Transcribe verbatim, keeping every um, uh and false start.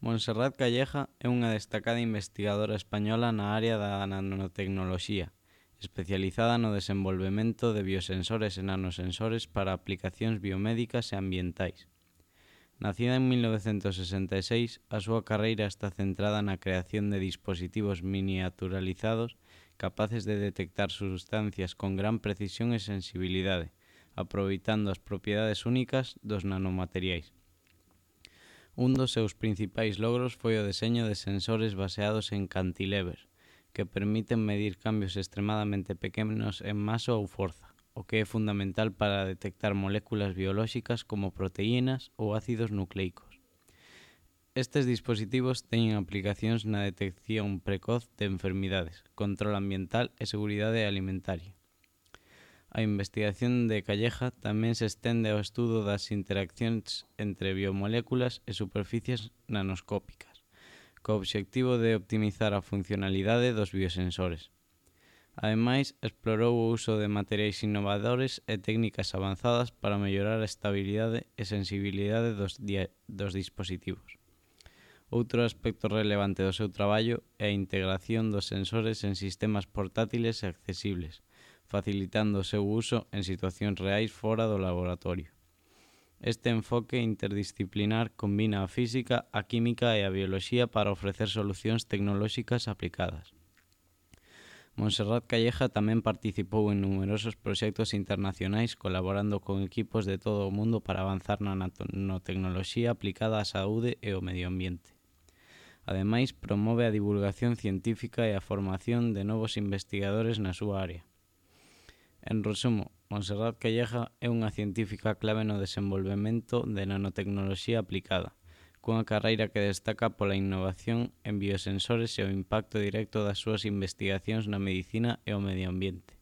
Montserrat Calleja é unha destacada investigadora española na área da nanotecnoloxía, especializada no desenvolvemento de biosensores e nanosensores para aplicacións biomédicas e ambientais. Nacida en mil novecentos sesenta e seis, a súa carreira está centrada na creación de dispositivos miniaturalizados capaces de detectar sustancias con gran precisión e sensibilidade, aproveitando as propiedades únicas dos nanomateriais. Un dos seus principais logros foi o deseño de sensores baseados en cantilevers, que permiten medir cambios extremadamente pequenos en masa ou forza, o que é fundamental para detectar moléculas biolóxicas como proteínas ou ácidos nucleicos. Estes dispositivos teñen aplicacións na detección precoz de enfermidades, control ambiental e seguridade alimentaria. A investigación de Calleja tamén se estende ao estudo das interaccións entre biomoléculas e superficies nanoscópicas, co obxectivo de optimizar a funcionalidade dos biosensores. Ademais, explorou o uso de materiais innovadores e técnicas avanzadas para mellorar a estabilidade e sensibilidade dos, dos dispositivos. Outro aspecto relevante do seu traballo é a integración dos sensores en sistemas portátiles e accesibles, facilitando o seu uso en situacións reais fora do laboratorio. Este enfoque interdisciplinar combina a física, a química e a bioloxía para ofrecer solucións tecnolóxicas aplicadas. Montserrat Calleja tamén participou en numerosos proxectos internacionais colaborando con equipos de todo o mundo para avanzar na nanotecnoloxía aplicada á saúde e ao medio ambiente. Ademais, promove a divulgación científica e a formación de novos investigadores na súa área. En resumo, Montserrat Calleja é unha científica clave no desenvolvemento de nanotecnoloxía aplicada, cunha carreira que destaca pola innovación en biosensores e o impacto directo das súas investigacións na medicina e o medio ambiente.